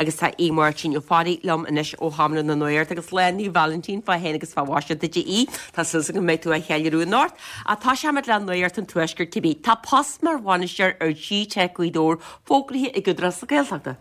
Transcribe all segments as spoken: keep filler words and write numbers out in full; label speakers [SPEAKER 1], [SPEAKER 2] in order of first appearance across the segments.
[SPEAKER 1] Agus tá Aodh Máirtín Ó Fearraigh liom anois ó Sheomra na Nuachta agus Lá Naomh Vailintín fá shéan agus fá mhaise duit a Aoidh. Tá súil go mbeidh tú á cheiliúradh anocht. Ach tosóimid le Nuacht an Tuaiscirt cibé. Tá post mar bhainisteoir ar G-Teic Ghaoth Dobhair fógraithe ag Údarás na Gaeltachta.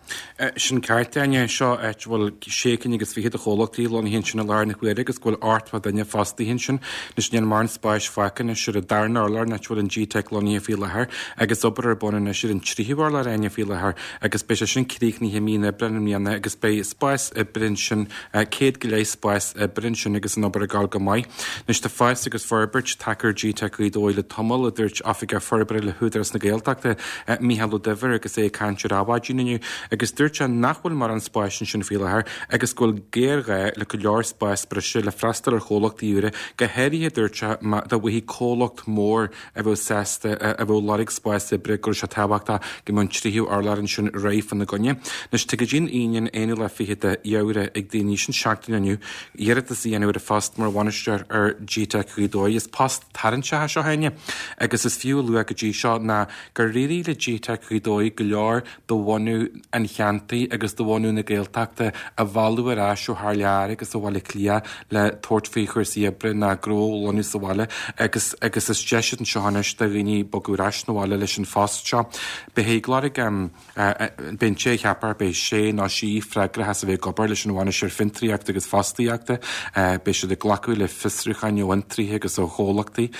[SPEAKER 2] Sin ceart, Áine. Seo áit a bhfuil sé cinn agus fiche de chomhlachtaí lonnaithe ansin i láthair na huaire agus go bhfuil ochtó duine fostaithe ansin. Anois níl mórán spáis fágtha anois ar an darna urlár an áit a bhfuil an G-Teic lonnaithe faoi láthair agus obair ar bun anois ar an tríú urlár, Áine, faoi láthair agus beidh sé sin críochnaithe mí an Aibreáin i mbliana agus beidh spás oibre ansin, céad go leith spás oibre ansin agus an obair ag gabháil go maith. Anois tá fás agus forbairt tagtha ar G-Teic Ghaoth Dobhair le tamall, a dúirt Oifigeach Forbartha le hÚdarás na Gaeltachta, Mícheál Ó Duibhir agus é ag caint ar Adhmhaidin inniu agus dúirt sé nach bhfuil mórán spáis ansin faoi láthair agus go bhfuil géarghá le go leor spás breise le freastal ar chomhlachtaí úra, go háirithe, dúirt sé, má dá bhfaighfí comhlacht mór a bheadh sásta a bheadh ag lorg spás oibre go raibh sé tábhachtach go mbeadh an tríú urlár ansin réidh fána gcoinne. Anois tá go dtí an Aoine an aonú lá fichead de Fheabhra ag daoine, sin seachtain ó inniu, iarratas a dhéanamh ar an phost mar bhainisteoir ar G-Teic Ghaoth Dobhair. Is post tarraingteach é seo, a Áine, agus is fiú a lua go dtí seo ná gur éirigh le G-Teic Ghaoth Dobhair go leor de bhunadh an cheantair agus de bhunadh na Gaeltachta a mhealladh ar ais ó thar lear agus ó Bhaile Átha Cliath le tabhairt faoi chúrsaí oibre ná gnó a lonnú sa bhaile agus agus is deis anseo anois do dhaoine bogadh ar ais 'na bhaile leis an phost seo. Beidh ag lorg beidh an té a cheapfar, beidh sé nó sí freagrach as a bheith ag obair leis an bhainisteoir fiontraíochta agus fostaíochta, beidh siad ag glacadh le fiosrúcháin ó fhiontraithe agus ó chomhlachtaí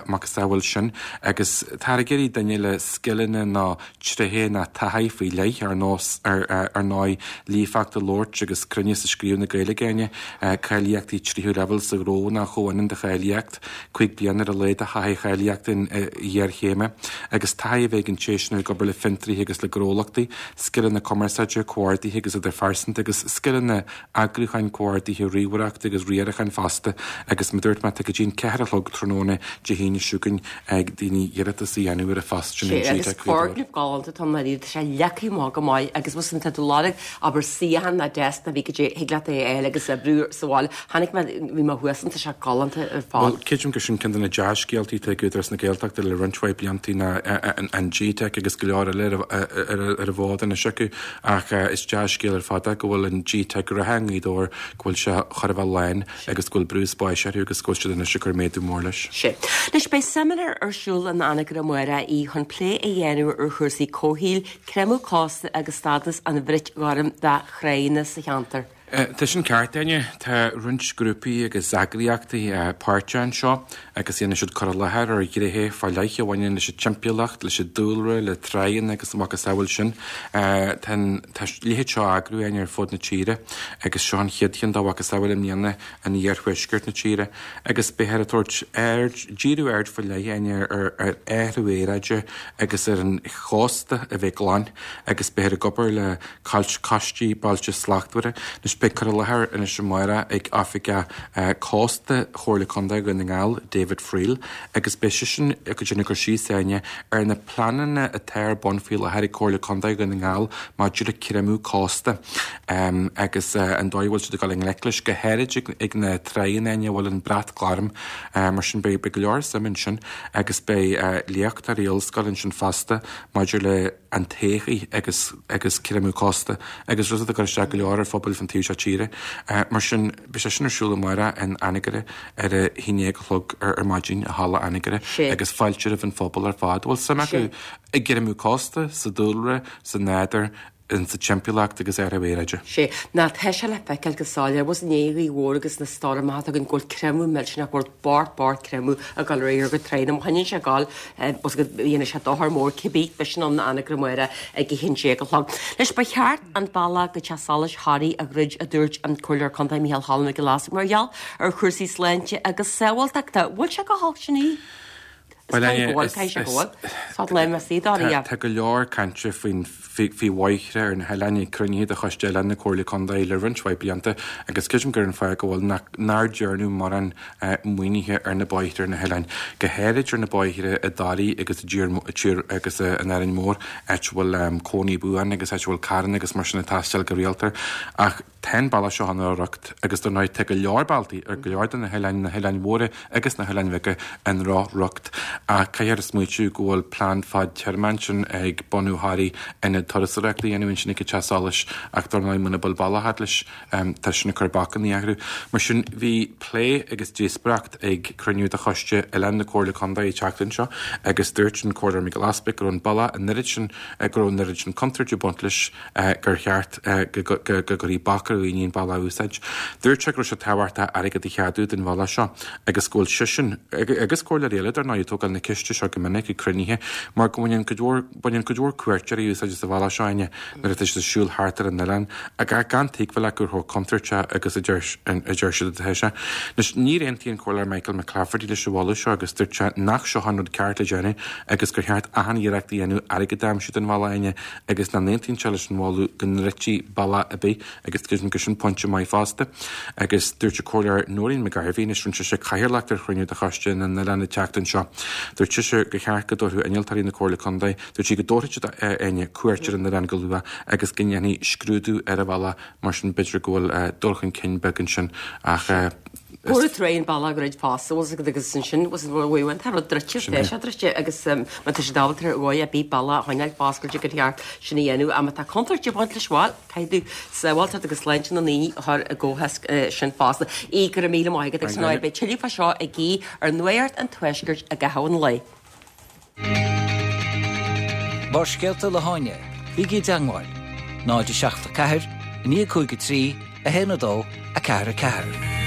[SPEAKER 2] macasamhail sin agus táthar ag iarraidh duine le scileanna nó tréithe nó taithí faoi leith ar nós ar ar ndóigh líofacht i labhairt agus cruinneas i scríobh na Gaeilge, Áine, cáilíochtaí tríú leibhéal sa ghnó nó chomhionann de cháilíocht, cúig bliana ar a laghad de thaithí cháilíochta ghéarchéime agus taithí a bheith ag an té sin ag obair le fiontraithe agus le gnólachtaí, scileanna cumarsáide, comhordaithe agus idirphearsanta agus scileanna eagrúcháin, comhordaithe, ríomhaireachta agus riaracháin fosta agus mar a dúirt mé tá go dtí an ceathair a chlog tráthnóna Dé hAoine seo chugainn ag daoine iarratas a dhéanamh ar an phost sin in
[SPEAKER 1] Sé agus
[SPEAKER 2] G-Teic Ghaoth Dobhair.
[SPEAKER 1] foirgneamh galánta atá ann dáiríre, tá sé leagtha amach go maith agus bhfuil tá tú ag lorg abair suíochán ná deasc ná bhí go dté thig leat é a fháil agus oibriú sa bhaile. Chonaic mé bhí mé thuas ann tá sé galánta ar fad.
[SPEAKER 2] Bhuel, creidim gur sin ceann de na dea-scéaltaí atá ag Údarás na Gaeltachta le roinnt mhaith blianta ná an G-Teic agus go leor eile ar an bhfód anois acu ach is dea-scéal ar fad é go bhfuil an G-Teic reatha i nGaoth Dobhair, go bhfuil sé chóir a bheith lán agus go bhfuil brú spáis orthu agus go bhfuil siad anois ag cur méadú mór leis.
[SPEAKER 1] Sé. Anois beidh seimineár ar siúl in Anagaire amárach chun plé a dhéanamh ar chúrsaí comhshaoil, creimeadh cósta agus stádas an bhrait ghoirm de thránna sa cheantar.
[SPEAKER 2] Tá sin ceart, Áine. Tá roinnt grúpaí agus eagraíochtaí páirteach anseo agus déanfaidh siad cur i láthair ar ghnéithe fá leith a bhaineann leis an timpeallacht, leis an dúlra, le tránna agus a macasamhail sin. Tá an tá a leithéid seo á eagrú, Áine, ar fud na tíre agus seo an chéad cheann dá mhacasamhail i mbliana in iarthuaisceart na tíre agus beifear ag tabhairt aird, díriú aird faoi leith, Áine, ar ar athrú aeráide agus ar an chósta a bheith glan agus beifear ag obair le coistí Bailte Slachtmhara. Anois beidh cur i láthair anois amárach ag Oifigeach Cósta Chomhairle Contae Dhún na nGall, David Friel, agus beidh seisean ag déanamh cur síos, Áine, ar na pleananna atá ar bun faoi láthair ag Comhairle Contae Dhún na nGall maidir le creimeadh cósta agus an dóigh a bhfuil siad ag dul i ngleic leis, go háirid ag na tránna, Áine, a bhfuil an brat gorm. Mar sin beidh go leor suim ansin agus beidh léachtóirí ollscoile ansin fosta maidir le an todhchaí agus agus creimeadh cósta agus rud atá ag cur isteach go leor ar phobail fan taobh seo tíre. Mar sin, beidh sé sin ar siúl amárach in Anagaire ar a haon déag a chlog ar ar maidin i Halla Anagaire agus fáilte roimh an phobal ar fad a bhfuil suim acu i gcreimeadh cósta, sa dúlra, sa nádúr, in sa timpeallacht agus athrú aeráide.
[SPEAKER 1] Sé, ná tá sé le feiceáil go soiléir, bhfuil i ndiaidh Ghaoth Mhór agus na stoirmeacha atá againn go bhfuil creimeadh millteanach, go bhfuil beart beart creimeadh ag dul ar aghaidh ar go tráth. Má choinníonn sé ag dul, bhfuil go dhéanfaidh sé dochar mór cibé, beidh sin ann in Anagaire amárach ag a haon déag a chlog. Anois, ba cheart an bealach go Teach Solais Thoraí a dhruid, a dúirt an Comhairleoir Contae Micheál Cholm Mac Giolla Easbuig, mar gheall ar chúrsaí sláinte agus sábháilteachta. Bhfuil sé go holc sin í? Is
[SPEAKER 2] Bhuel,
[SPEAKER 1] caithfidh go bhfuil, caithfidh sé go bhfuil. Sod léim a suí dá
[SPEAKER 2] Tá tá go leor cainte faoin faoi bhóithre ar na hoileáin ag cruinnithe de Choiste Oileán na Comhairle Contae le roinnt mhaith blianta agus creidim gur an fáth go bhfuil nach nár dearnadh mórán maoinithe ar na bóithre ar na hoileáin, go háirid ar na bóithre i dToraigh agus i dTír Tír agus in Árainn Mhór, áit a bhfuil cónaí buan agus áit a bhfuil carranna agus mar sin ag taisteal go rialta. Ach tá an bealach seo ina riocht agus dar ndóigh tá go leor bealtaí ar go leor de na hoileáin, na hoileáin mhóra agus na hoileáin bheaga, i ndroch-riocht. Ach caithfear a smaoitiú go bhfuil plean fadtéarma ansin ag bunú Thoraí ionad turasóireachta a dhéanamh ansin ag an teach solais ach dar ndóigh muna bhfuil bealach agat leis tá sin ag cur bacanna orthu. Mar sin bhí plé agus díospóireacht ag cruinniú de choiste oileán na Comhairle Contae an tseachtain seo agus dúirt an Comhairleoir Micheál Easpaig go raibh an bealach an oiread sin go raibh an oiread sin contúirt ag baint leis gur cheart go gcuirfí bac ar dhaoine an bealach a úsáid. Dúirt sé go raibh sé tábhachtach airgead a cheadú don bhealach seo agus go bhfuil seisean agus comhairleoirí eile dar ndóigh ag tógáil na ceiste seo go minic ag cruinnithe mar go mbaineann cuid mhór baineann cuid mhór cuairteoirí úsáid as an bhealach seo Áine nuair atá siad ag siúl thart ar an oileán ach gan tuigbheáil acu chomh contúirteach agus a deir a deir siad atá sé. Anois níor aontaigh an Comhairleoir Michael McClafferty leis an mholadh seo agus dúirt sé nach seo an rud ceart le déanamh agus gur cheart achan iarracht a dhéanamh airgead a aimsiú don bhealach Áine agus nach n-aontaíonn sé leis an mholadh go ndruidfí bealach ar bith agus creidim gur sin pointe maith fosta. Agus dúirt an Comhairleoir Noreen McGarvey anois rinne sise cathaoirleacht ar chruinniú de choiste na n-oileán an tseachtain seo. Dúirt sise gur cheart go dtabharfadh innealtóirí na Comhairle Contae, dúirt sí go dtabharfaidh siad Áine cuairt ar an oileán go luath agus go ndéanfaí scrúdú ar an bhealach mar sin b'fhéidir go bhfuil dul chun cinn beag ansin ach
[SPEAKER 1] Cuireadh tar an bealach go raibh fásta agus ansin was bhfuil tá rud druidte tá sé druidte agus má tá sé ábalta ar dhóigh ar bith bealach a choinneáil foscailte gur cheart sin a dhéanamh ach má tá contúirt ag baint leis bhuel caithfidh tú sábháilteacht agus sláinte na ndaoine a chur i gcomhthéacs sin fosta. Aodh go raibh míle maith agat agus an beidh tuilleadh fá seo ag Aodh ar Nuacht an Tuaiscirt i gcaitheamh an lae.
[SPEAKER 3] Barrscéalta le hÁine, bígí i dteagmháil, náid a seacht a ceathair, naoi cúig a trí, a haon a dó, a ceathair a ceathair.